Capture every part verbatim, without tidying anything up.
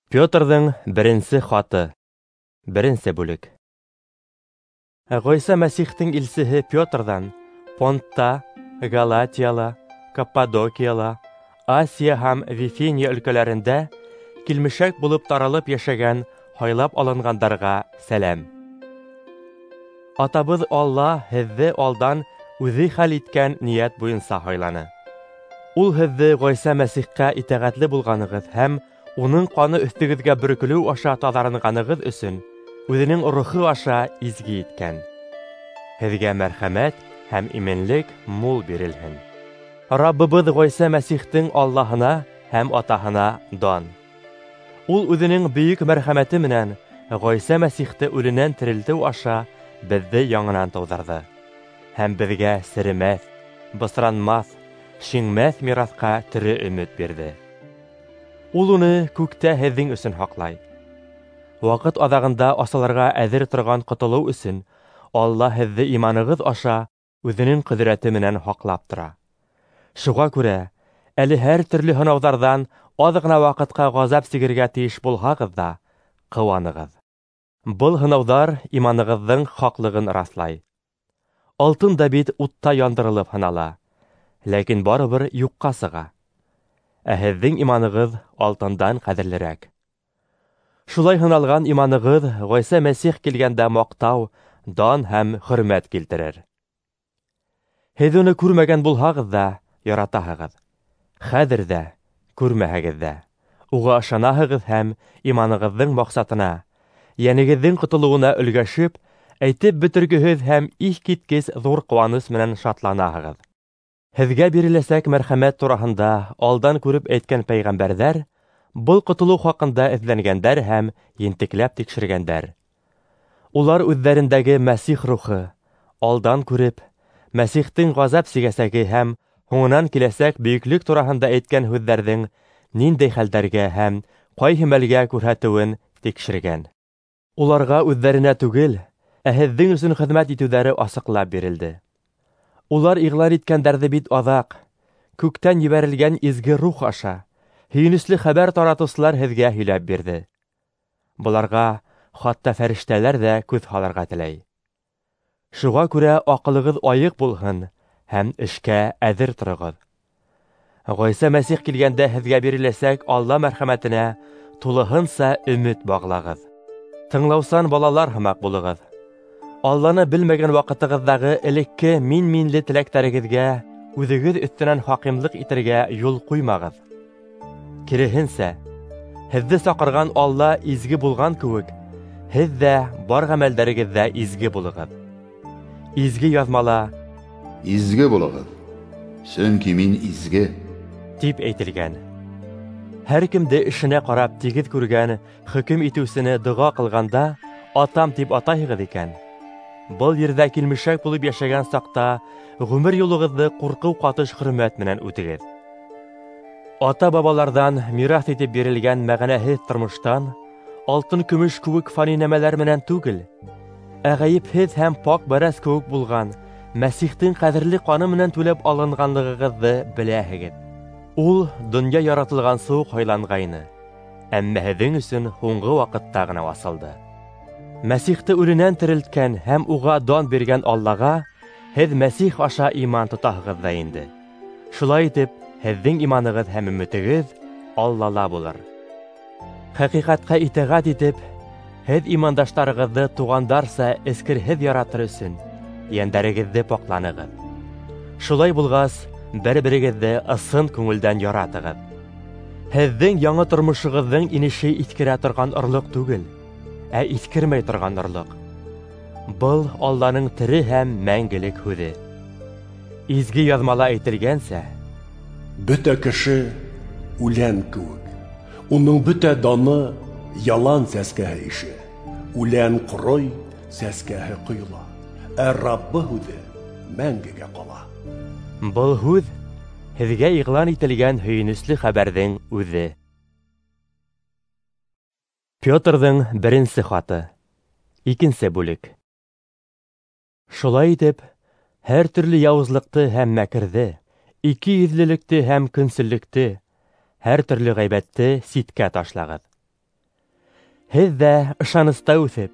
Петрҙың беренсе хаты. Беренсе бүлек. Ғайса Мәсихтең илсеһе Петрҙан Понтта, Галатияла, Каппадокияла, Асия һәм Вифиния өлкәләрендә килмешәк булып таралып йәшәгән һайлап алынғандарға сәләм. Атабыҙ Алла һеҙҙе алдан үҙе хәл иткән ниәт буйынса һайланы. Ул һеҙҙе Ғайса Мәсихкә итәғәтле булғанығыҙ һәм уның ҡаны өҫтөгөҙгә бөркөлөү аша таҙарынғанығыҙ өсөн үҙенең рухы аша изге иткән. Һеҙгә мәрхәмәт һәм именлек мул бирелһен. Раббыбыҙ Ғайса Мәсихтең Аллаһына һәм Атаһына дан. Ул үҙенең бөйөк мәрхәмәте менән Ғайса Мәсихте үленән терелтеү аша беҙҙе яңынан тыуҙырҙы һәм беҙгә серемәҫ, бысранмаҫ, шиңмәҫ мираҫҡа тере өмөт бирҙе. Ул уны күктә һеҙҙең өсөн һаҡлай. Ваҡыт аҙағында асылырға әҙер торған ҡотолоу өсөн Алла һеҙҙе иманығыҙ аша үҙенең ҡөҙрәте менән һаҡлап тора. Шуға күрә әле һәр төрлө һынауҙарҙан аҙ ғына ваҡытҡа ғазап сигергә тейеш булһағыҙ ҙа, ҡыуанығыҙ. Был һынауҙар иманығыҙҙың хаҡлығын раҫлай. Алтын да бит утта яндырылып һынала, ләкин барыбер юҡҡа сыға. Ә һеҙҙең иманығыҙ алтындан ҡәҙерлерәк. Шулай һыналған иманығыҙ Ғайса Мәсих килгәндә маҡтау, дан һәм хөрмәт килтерер. Һеҙ уны күрмәгән булһағыҙ ҙа, яратаһығыҙ. Хәҙер ҙә, күрмәһәгеҙ ҙә, уға ышанаһығыҙ һәм иманығыҙҙың маҡсатына, йәнегеҙҙең ҡотолоуына өлгәшеп, әйтеп бөтөргөһөҙ һәм иҫ киткес ҙур ҡыуаныс менән шатланаһығыҙ. Һеҙгә биреләсәк мәрхәмәт тураһында алдан күреп әйткән пәйғәмбәрҙәр был ҡотолоу хаҡында эҙләнгәндәр һәм ентекләп тикшергәндәр. Улар үҙҙәрендәге Мәсих рухы алдан күреп, Мәсихтең ғазап сигәсәге һәм һуңынан киләсәк бөйөклөк тураһында әйткән һүҙҙәрҙең ниндәй хәлдәргә һәм ҡайһы мәлгә күрһәтеүен тикшергән. Уларға үҙҙәренә түгел, ә һеҙҙең өсөн хеҙмәт итеүҙәре асыҡлап бирелде. Улар иғлан иткәндәрҙе бит аҙаҡ, күктән ебәрелгән изге рух аша, һөйөнөслө хәбәр таратыусылар һеҙгә һөйләп бирҙе. Быларға хатта фәрештәләр ҙә күҙ һалырға теләй. Шуға күрә аҡылығыҙ айыҡ булһын һәм эшкә әҙер тороғоҙ. Ғайса Мәсих килгәндә һеҙгә биреләсәк Алла мәрхәмәтенә тулыһынса өмөт бағлағыҙ. Тыңлаусан балалар һымаҡ булығыҙ. Алланы белмәгән ваҡытығыҙҙағы элекке мин-минле теләктәрегеҙгә үҙегеҙ өҫтөнән хакимлыҡ итергә юл ҡуймағыҙ. Киреһенсә, һеҙҙе саҡырған Алла изге булған кеүек, һеҙ ҙә бар ғәмәлдәрегеҙҙә изге булығыҙ. Изге яҙмала: "Изге булығыҙ, сөнки мин изге" тип әйтелгән. Һәр кемде эшенә ҡарап тигеҙ күргән хөкөм итеүсене доға ҡылғанда атам тип атайһығыҙ икән, был ерҙә килмешәк булып йәшәгән саҡта ғүмер юлығыҙҙы ҡурҡыу ҡатыш хөрмәт менән үтегеҙ. Ата-бабаларҙан мираҫ итеп бирелгән мәғәнәһеҙ тормоштан алтын-көмөш кеүек фани нәмәләр менән түгел, ә ғәйепһеҙ һәм пак бәрәс кеүек булған Мәсихтең ҡәҙерле ҡаны менән түләп алынғанлығығыҙҙы беләһегеҙ. Ул донъя яратылғансы уҡ һайланғайны, әммә һеҙҙең өсөн һуңғы ваҡытта ғына асылды. Мәсихте үленән терелткән һәм уға дан биргән Аллаға һеҙ Мәсих аша иман тотаһығыҙ ҙа инде. Шулай итеп, һеҙҙең иманығыҙ һәм өмөтөгөҙ Аллала булыр. Хәҡиҡәткә итәғәт итеп, һеҙ имандаштарығыҙҙы туғандарса эскерһеҙ яратыр өсөн йәндәрегеҙҙе паҡланығыҙ. Шулай булғас, бер-берегеҙҙе ысын күңелдән яратығыҙ. Һеҙҙең яңы тормошоғоҙҙоң инеше иҫкерә торған орлоҡ түгел, ә иҫкермәй торған орлоҡ. Был Алланың тере һәм мәңгелек һүҙе. Изге яҙмала әйтелгәнсә: "Бөтә кеше үлән кеүек, уның бөтә даны ялан сәскәһе ише. Үлән ҡорой, сәскәһе ҡойола, ә Раббы һүҙе мәңгегә ҡала." Был һүҙ һеҙгә иғлан ителгән һөйөнөслө хәбәрҙең үҙе. Петрҙың беренсе хаты. Икенсе бүлек. Шулай итеп, һәр төрлө яуызлыҡты һәм мәкерҙе, ике йөҙлөлөктө һәм көнсөллөктө, һәр төрлө ғәйбәтте ситкә ташлағыҙ. Һеҙ ҙә ышаныста үҫеп,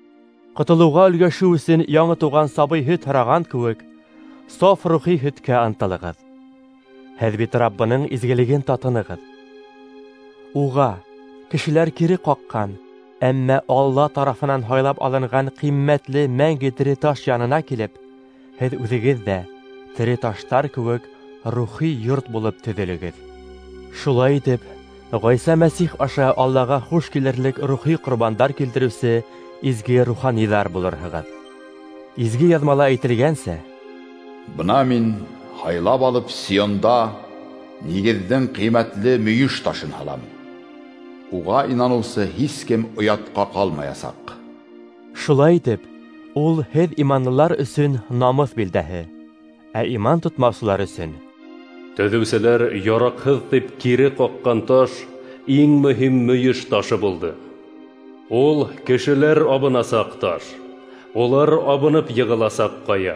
ҡотолоуға өлгәшеү өсөн яңы тыуған сабый һөт һораған кеүек, саф рухи һөткә ынтылығыҙ. Һеҙ бит Раббының изгелеген татынығыҙ. Уға кешеләр кире ҡаҡҡан, әммә Алла тарафынан һайлап алынған ҡиммәтле мәңге тере таш янына килеп, һеҙ үҙегеҙ ҙә тере таштар кеүек рухи йорт булып төҙөлөгөҙ. Шулай итеп, Ғайса Мәсих аша Аллаға хуш килерлек рухи ҡорбандар килтереүсе изге руханиҙар булырһығыҙ. Изге яҙмала әйтелгәнсә: Бына мин һайлап алып Сионда нигеҙҙең ҡиммәтле мөйөш ташын һалам. Уға инаныусы һис кем оятҡа ҡалмаясаҡ. Шулай итеп, ул һеҙ иманлылар өсөн намыҫ билдәһе, ә иман тотмаусылар өсөн Төҙөүселәр яраҡһыҙ тип кире ҡаҡҡан таш иң мөһим мөйөш ташы булды. Ул кешеләр абынасаҡ таш, улар абынып йығыласаҡ ҡая.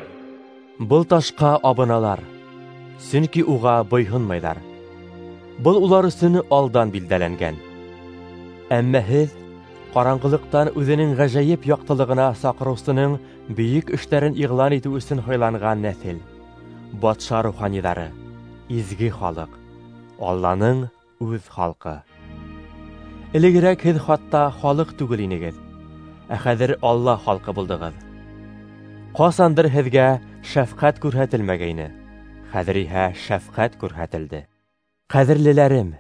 Был ташҡа абыналар, сөнки уға буйһонмайҙар. Был улар өсөн алдан билдәләнгән. Әммә һеҙ ҡараңғылыҡтан үҙенең ғәжәйеп яҡтылығына саҡырыусының бөйөк эштәрен иғлан итеү өсөн һайланған нәҫел, батша руханиҙары, изге халыҡ, Алланың үҙ халҡы. Элегерәк һеҙ хатта халыҡ түгел инегеҙ, ә хәҙер Алла халҡы булдығыҙ. Ҡасандыр һеҙгә шәфҡәт күрһәтелмәгәйне, хәҙер иһә шәфҡәт күрһәтелде. Ҡәҙерлеләрем,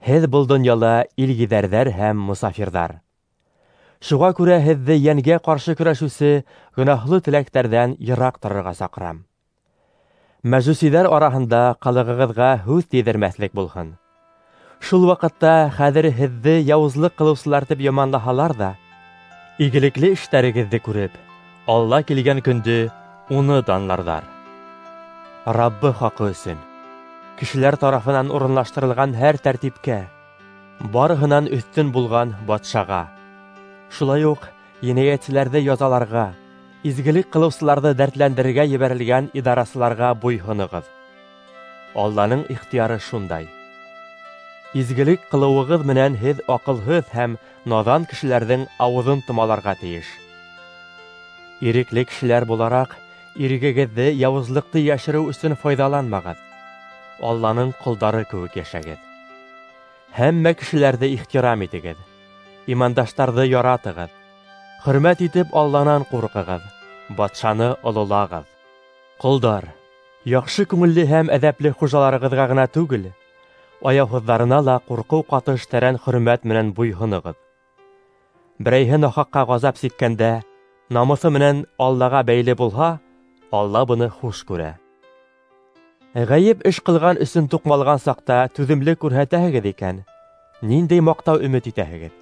һеҙ был донъяла илгиҙәрҙәр һәм мосафирҙар. Шуға күрә һеҙҙе йәнгә ҡаршы көрәшеүсе гонаһлы теләктәрҙән йыраҡ торорға саҡырам. Мәжүсиҙәр араһында ҡылығығыҙға һүҙ тейҙермәҫлек булһын. Шул ваҡытта хәҙер һеҙҙе яуызлыҡ ҡылыусылар тип яманлаһалар ҙа, игелекле эштәрегеҙҙе күреп, Алла килгән көндө уны данларҙар. Раббы хаҡы өсөн кешеләр тарафынан урынлаштырылған һәр тәртипкә, барыһынан өҫтөн булған батшаға, шулай уҡ енәйәтселәрҙе язаларға, изгелек ҡылыусыларҙы дәртләндерергә ебәрелгән идарасыларға буйһонығыҙ. Алланың ихтыяры шундай. Изгелек ҡылыуығыҙ менән һеҙ аҡылһыҙ һәм наҙан кешеләрҙең ауыҙын томаларға тейеш. Ирекле кешеләр булараҡ, ирегегеҙҙе яуызлыҡты йәшереү өсөн файҙаланмағыҙ. Алланың ҡолдары кеүек йәшәгеҙ. Һәммә кешеләрҙе ихтирам итегеҙ, имандаштарҙы яратығыҙ, хөрмәт итеп Алланан ҡурҡығыҙ, батшаны ололағыҙ. Ҡолдар, яҡшы күңелле һәм әҙәпле хужаларығыҙға ғына түгел, аяуһыҙҙарына ла ҡурҡыу ҡатыш тәрән хөрмәт менән буйһонығыҙ. Берәйһе нахаҡҡа ғазап сиккәндә, намыҫы менән Аллаға бәйле булһа, Алла быны хуш күрә. Ғәйеп эш ҡылған өсөн туҡмалған саҡта түҙемлек күрһәтәһегеҙ икән, ниндәй маҡтау өмөт итәһегеҙ?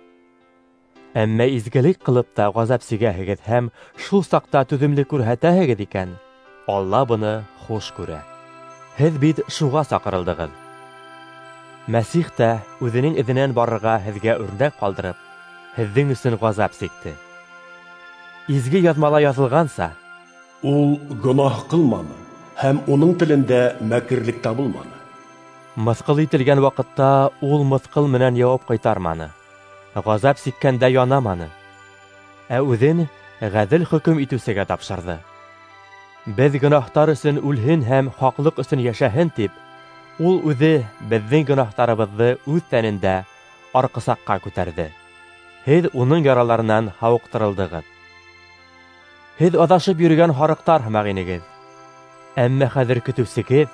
Әммә изгелек ҡылып та ғазап сигәһегеҙ һәм шул саҡта түҙемлек күрһәтәһегеҙ икән, Алла быны хуш күрә. Һеҙ бит шуға саҡырылдығыҙ. Мәсих тә үҙенең эҙенән барырға һеҙгә үрнәк ҡалдырып, һеҙҙең өсөн ғазап сикте. Изге яҙмала яҙылғанса, Ул гонаһ ҡылманы һәм уның телендә мәкерлек табылманы. Мыҫҡыл ителгән ваҡытта ул мыҫҡыл менән яуап ҡайтарманы, ғазап сиккәндә янаманы, ә үҙен ғәҙел хөкөм итеүсегә тапшырҙы. Беҙ гонаһтар өсөн үлһен һәм хаҡлыҡ өсөн йәшәһен тип, ул үҙе беҙҙең гонаһтарыбыҙҙы үҙ тәнендә арҡысаҡҡа күтәрҙе. Һеҙ уның яраларынан һауыҡтырылдығыҙ. Һеҙ аҙашып йөрөгән һарыҡтар һымаҡ инегеҙ, әммә хәҙер көтөүсегеҙ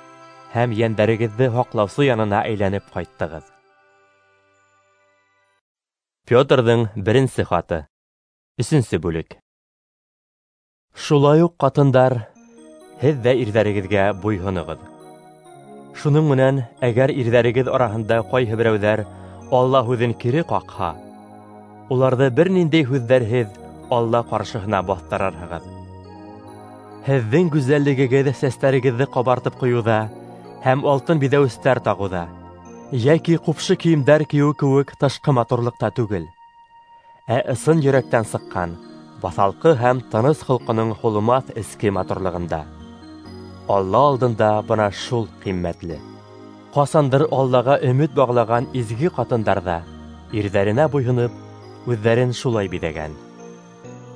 һәм йәндәрегеҙҙе һаҡлаусы янына әйләнеп ҡайттығыҙ. Петрҙың беренсе хаты, өсөнсө бүлек. Шулай уҡ ҡатындар, һеҙ ҙә ирҙәрегеҙгә буйһоноғоҙ. Шуның менән, әгәр ирҙәрегеҙ араһында ҡайһы берәүҙәр Алла һүҙен кире ҡаҡһа, уларҙы бер ниндәй һүҙҙәрһеҙ Алла ҡаршыһына баҫтырырһығыҙ. Һеҙҙең гүзәллегегеҙ сәстәрегеҙҙе ҡабартып ҡуйыуҙа һәм алтын биҙәүестәр тағыуҙа, йәки ҡупшы кейемдәр кейеү кеүек тышҡы матурлыҡта түгел, ә ысын йөрәктән сыҡҡан баҫалҡы һәм тыныс холҡоноң һулымаҫ эске матурлығында. Алла алдында бына шул ҡиммәтле. Ҡасандыр Аллаға өмөт бағлаған изге ҡатындар ҙа ирҙәренә буйһоноп, үҙҙәрен шулай биҙәгән.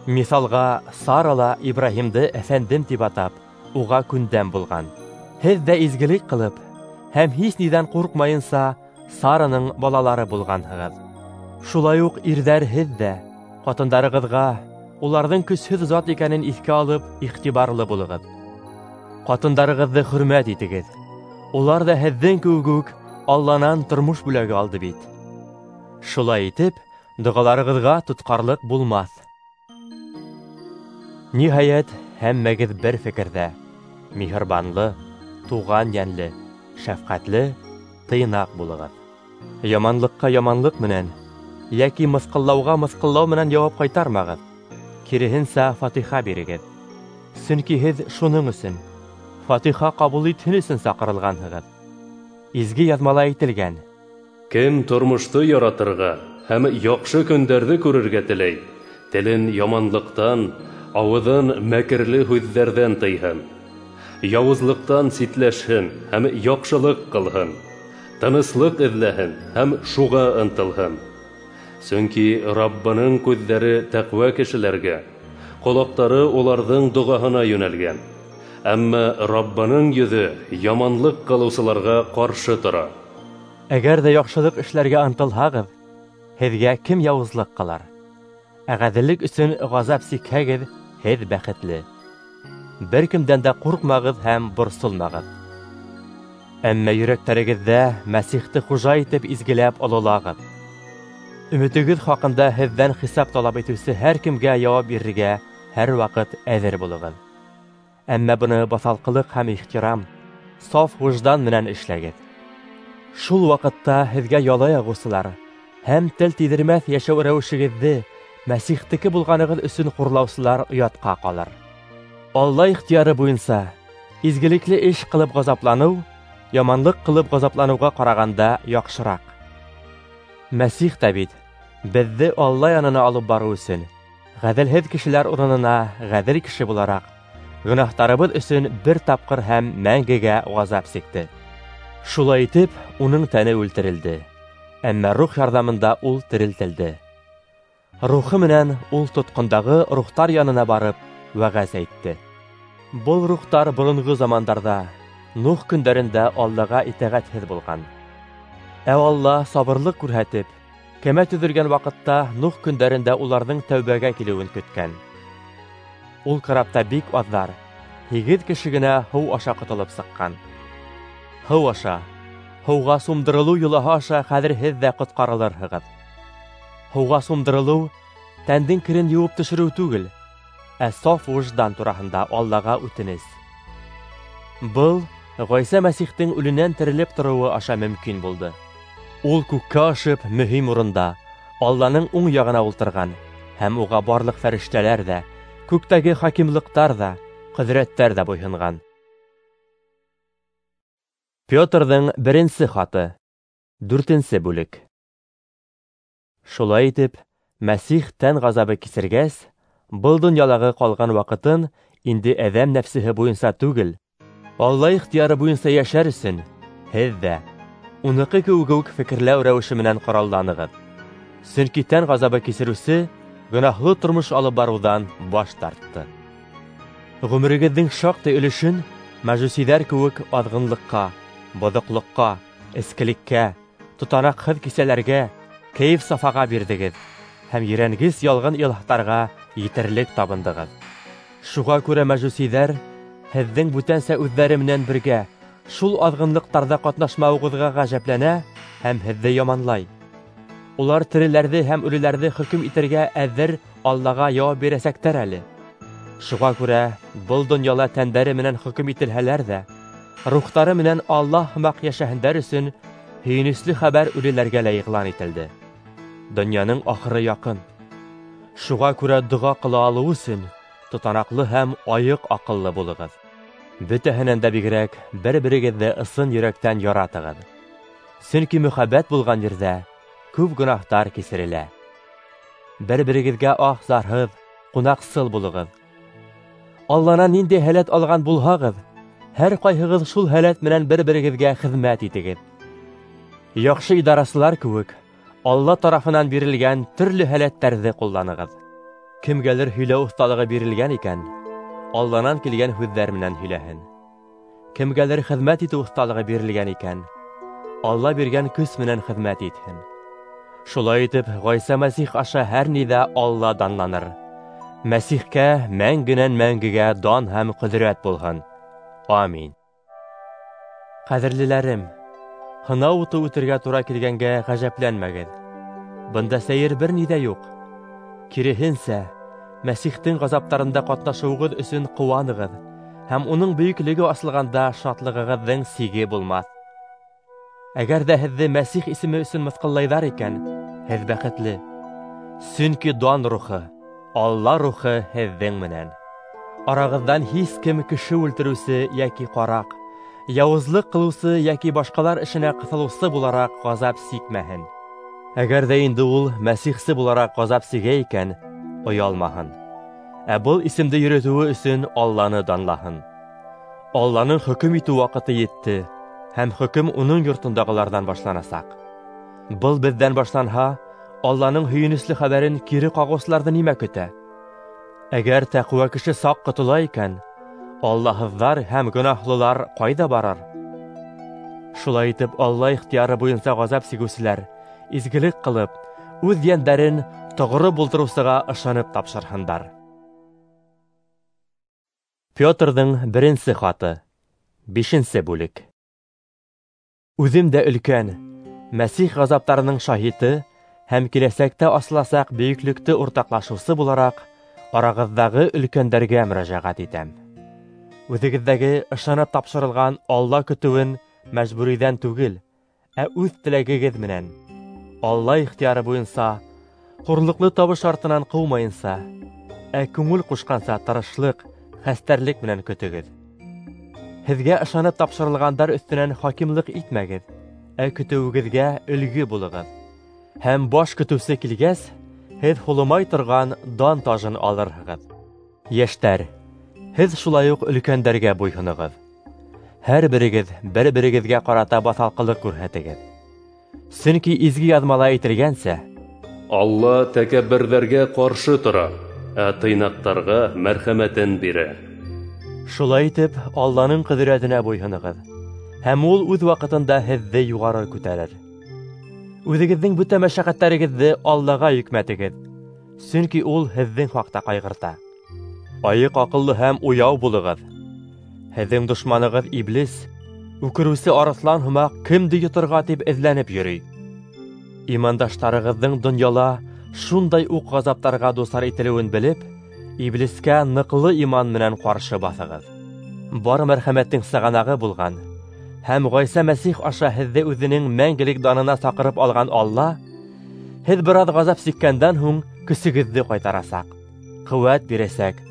Миҫалға, Сара ла Ибраһимды әфәндем тип атап, уға күндәм булған. Һеҙ ҙә изгелек ҡылып һәм һис ниҙән ҡурҡмайынса Сараның балалары булғанһығыҙ. Шулай уҡ ирҙәр һеҙ ҙә ҡатындарығыҙға уларҙың көсһөҙ зат икәнен иҫкә алып, иғтибарлы булығыҙ. Ҡатындарығыҙҙы хөрмәт итегеҙ. Улар ҙа һеҙҙең кеүек үк Алланан тормош бүләге алды бит. Шулай итеп, доғаларығыҙға тотҡарлыҡ булмаҫ. Ниһайәт, һәммәгеҙ бер фекерҙә, миһырбанлы, туған йәнле, шәфҡәтле, тыйнаҡ булығыҙ. Яманлыҡҡа яманлыҡ менән йәки мыҫҡыллауға мыҫҡыллау менән яуап ҡайтармағыҙ. Киреһенсә, фатиха бирегеҙ. Сөнки һеҙ шуның өсөн, фатиха ҡабул итһен өсөн саҡырылғанһығыҙ. Изге яҙмала әйтелгән: Кем тормошто яратырға һәм яҡшы көндәрҙе күрергә теләй, телен яманлыҡтан, ауыҙын мәкерле һүҙҙәрҙән тыйһын. Яуызлыҡтан ситләшһен һәм яҡшылыҡ ҡылһын, тыныслыҡ эҙләһен һәм шуға ынтылһын. Сөнки Раббының күҙҙәре тәҡүә кешеләргә, ҡолаҡтары уларҙың доғаһына йүнәлгән. Әммә Раббының йөҙө яманлыҡ ҡылыусыларға ҡаршы тора. Әгәр ҙә яҡшылыҡ эшләргә ынтылһағыҙ, һеҙгә кем яуызлыҡ ҡылар? Ә ғәҙеллек өсөн ғазап сикһәгеҙ, һеҙ бәхетле. Бер кемдән дә ҡурҡмағыҙ һәм борсолмағыҙ. Әммә йөрәктәрегеҙҙә Мәсихте хужа итеп изгеләп ололағыҙ. Өмөтөгөҙ хаҡында һеҙҙән хисап талап итеүсе һәр кемгә яуап бирергә һәр ваҡыт әҙер булығыҙ. Әммә быны баҫалҡылыҡ һәм ихтирам, саф выждан менән эшләгеҙ. Шул ваҡытта һеҙгә яла яғыусылар һәм тел тейҙермәҫ йәшәү рәүешегеҙҙе Мәсихтеке булғанығыҙ өсөн хурлаусылар оятҡа ҡалыр. Алла ихтыяры буйынса изгелекле эш ҡылып ғазапланыу, яманлыҡ ҡылып ғазапланыуға ҡарағанда яҡшыраҡ. Мәсих тә бит беҙҙе Алла янына алып барыу өсөн ғәҙелһеҙ кешеләр урынына ғәҙел кеше булараҡ гонаһтарыбыҙ өсөн бер тапҡыр һәм мәңгегә ғазап сикте. Шулай итеп, уның тәне үлтерелде, әммә рух ярҙамында ул терелтелде. Рухы менән ул тотҡондағы рухтар янына барып вәғәз әйтте. Был рухтар боронғо замандарҙа, Нух көндәрендә Аллаға итәғәтһеҙ булған. Ә Алла сабырлыҡ күрһәтеп, кәмә төҙөлгән ваҡытта Нух көндәрендә уларҙың тәүбәгә килеүен көткән. Ул карапта бик аҙҙар, һигеҙ кеше генә һыу аша ҡотолоп сыҡҡан. Һыу аша, һыуға сумдырылыу йолаһы аша хәҙер һеҙ ҙә ҡотҡарылырһығыҙ. Һыуға сумдырылыу тәндең керен йыуып төшөрөү түгел, ә саф выждан тураһында Аллаға үтенес. Был Ғайса Мәсихтең үленән терелеп тороуы аша мөмкин булды. Ул күккә ашып мөһим урында Алланың уң яғына ултырған һәм уға барлыҡ фәрештәләр ҙә, күктәге хакимлыҡтар ҙа, ҡөҙрәттәр ҙә буйһонған. Петрҙың беренсе хаты, дүртенсе бүлек. Шулай итеп, Мәсих тән ғазабы кисергәс, был донъялағы ҡалған ваҡытын инде әҙәм нәфсеһе буйынса түгел, Алла ихтыяры буйынса йәшәр өсөн һеҙ ҙә уныҡы кеүек үк фекерләү рәүеше менән ҡоралланығыҙ. Сөнки тән ғазабы кисереүсе гонаһлы тормош алып барыуҙан баш тартты. Ғүмерегеҙҙең шаҡтай өлөшөн мәжүсиҙәр кеүек аҙғынлыҡҡа, боҙоҡлоҡҡа, эскелеккә, тотанаҡһыҙ кисәләргә, кәйеф-сафаға бирҙегеҙ һәм ерәнгес ялған илаһтарға етерлек табындығыҙ. Шуға күрә мәжүсиҙәр һеҙҙең бүтәнсә үҙҙәре менән бергә шул аҙғынлыҡтарҙа ҡатнашмауығыҙға ғәжәпләнә һәм һеҙҙе яманлай. Улар тереләрҙе һәм үлеләрҙе хөкөм итергә әҙер Аллаға яуап бирәсәктәр әле. Шуға күрә был донъяла тәндәре менән хөкөм ителһәләр ҙә, рухтары менән Аллаһ һымаҡ йәшәһендәр өсөн һөйөнөслө хәбәр үлеләргә лә иғлан ителде. Донъяның ахыры яҡын. Шуға күрә доға ҡыла алыу өсөн тотанаҡлы һәм айыҡ аҡыллы булығыҙ. Бөтәһенән дә бигерәк бер-берегеҙҙе ысын йөрәктән яратығыҙ. Сөнки мөхәббәт булған ерҙә күп гонаһтар кисерелә. Бер-берегеҙгә аһ-зарһыҙ, ҡунаҡсыл булығыҙ. Алланан ниндәй һәләт алған булһағыҙ, һәр ҡайһығыҙ шул һәләт менән бер-берегеҙгә хеҙмәт итегеҙ. Яҡшы идарасылар кеүек, Алла тарафынан бирелгән төрлө һәләттәрҙе ҡулланығыҙ. Кемгәлер һөйләү оҫталығы бирелгән икән, Алланан килгән һүҙҙәр менән һөйләһен. Кемгәлер хеҙмәт итеү оҫталығы бирелгән икән, Алла биргән көс менән хеҙмәт итһен. Шулай итеп, Ғайса Мәсих аша һәр ниҙә Алла данланыр. Мәсихкә мәңгенән мәңгегә дан һәм ҡөҙрәт булһын. Амин. Ҡәҙерлеләрем, һынау уты үтергә тура килгәнгә ғәжәпләнмәгеҙ. Бында сәйер бер ни ҙә юҡ. Киреһенсә, Мәсихтең ғазаптарында ҡатнашыуығыҙ өсөн ҡыуанығыҙ, һәм уның бөйөклөгө асылғанда шатлығығыҙҙың сиге булмаҫ. Әгәр ҙә һеҙҙе Мәсих исеме өсөн мыҫҡыллайҙар икән, һеҙ бәхетле. Сөнки дан рухы, Алла рухы һеҙҙең менән. Арағыҙҙан һис кем кеше үлтереүсе йәки ҡараҡ, яуызлыҡ ҡылыусы йәки башҡалар эшенә ҡыҫылыусы булараҡ ғазап сикмәһен. Әгәр ҙә инде ул мәсихсе булараҡ ғазап сигә икән, оялмаһын. Ә был исемде йөрөтөүе өсөн Алланы данлаһын. Алланың хөкөм итеү ваҡыты етте, һәм хөкөм уның йортондағыларҙан башланасаҡ. Был беҙҙән башланһа, Алланың һөйөнөслө хәбәрен кире ҡағыусыларҙы нимә көтә? Әгәр тәҡүә кеше саҡ ҡотола икән, Аллаһыҙҙар һәм гонаһлылар ҡайҙа барыр? Шулай итеп, Алла ихтыяры буйынса ғазап сигеүселәр изгелек ҡылып, үҙ йәндәрен тоғро булдырыусыға ышанып тапшырһындар. Петрҙың беренсе хаты, бишенсе бүлек. Үҙем дә өлкән, Мәсих ғазаптарының шаһиты һәм киләсәктә асыласаҡ бөйөклөктө уртаҡлашыусы булараҡ, арағыҙҙағы өлкәндәргә мөрәжәғәт итәм. Үҙегеҙҙәге ышанып тапшырылған Алла көтөүен мәжбүриҙән түгел, ә үҙ теләгегеҙ менән, Алла ихтыяры буйынса, хурлыҡлы табыш артынан ҡыумайынса, ә күңел ҡушҡанса тырышлыҡ, хәстәрлек менән көтөгөҙ. Һеҙгә ышанып тапшырылғандар өҫтөнән хакимлыҡ итмәгеҙ, ә көтөүегеҙгә өлгө булығыҙ. Һәм баш көтөүсе килгәс, һеҙ һулымай торған дан тажын алырһығыҙ. Йәштәр, һеҙ шулай уҡ өлкәндәргә буйһоноғоҙ. Һәр берегеҙ бер-берегеҙгә ҡарата баҫалҡылыҡ күрһәтегеҙ. Сөнки изге яҙмала әйтелгәнсә, Алла тәкәбберҙәргә ҡаршы тора, ә тыйнаҡтарға мәрхәмәтен бирә. Шулай итеп, Алланың ҡөҙрәтенә буйһоноғоҙ, һәм ул үҙ ваҡытында һеҙҙе юғары күтәрер. Үҙегеҙҙең бөтә мәшәҡәттәрегеҙҙе Аллаға йөкмәтегеҙ, сөнки ул һеҙҙең хаҡта ҡайғырта. Айыҡ аҡыллы һәм уяу булығыҙ. Һеҙҙең дошманығыҙ Иблис, үкереүсе арыҫлан һымаҡ кемде йоторға тип эҙләнеп йөрөй. Имандаштарығыҙҙың донъяла шундай уҡ ғазаптарға дусар ителеүен белеп, Иблискә ныҡлы иман менән ҡаршы баҫығыҙ. Бар мәрхәмәттең сығанағы булған һәм Ғайса Мәсих аша һеҙҙе үҙенең мәңгелек данына саҡырып алған Алла, һеҙ бер аҙ ғазап сиккәндән һуң көсөгөҙҙө ҡайтарасаҡ, ҡеүәт бирәсәк,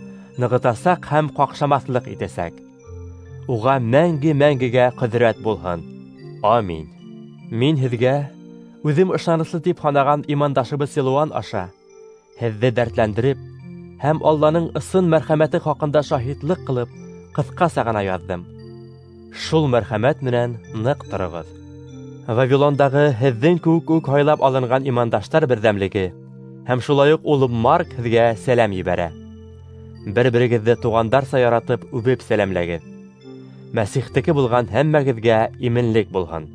нығытасаҡ һәм ҡаҡшамаҫлыҡ итәсәк. Уға мәңге-мәңгегә ҡөҙрәт булһын. Амин. Мин һеҙгә үҙем ышаныслы тип һанаған имандашыбыҙ Силуан аша һеҙҙе дәртләндереп һәм Алланың ысын мәрхәмәте хаҡында шаһитлыҡ ҡылып, ҡыҫҡаса ғына яҙҙым. Шул мәрхәмәт менән ныҡ тороғоҙ. Вавилондағы һеҙҙең кеүек үк һайлап алынған имандаштар берҙәмлеге һәм шулай уҡ улым Марк һеҙгә сәләм ебәрә. Бер-берегеҙҙе туғандарса яратып үбеп сәләмләгеҙ. Мәсихтеке булған һәммәгеҙгә именлек булһын.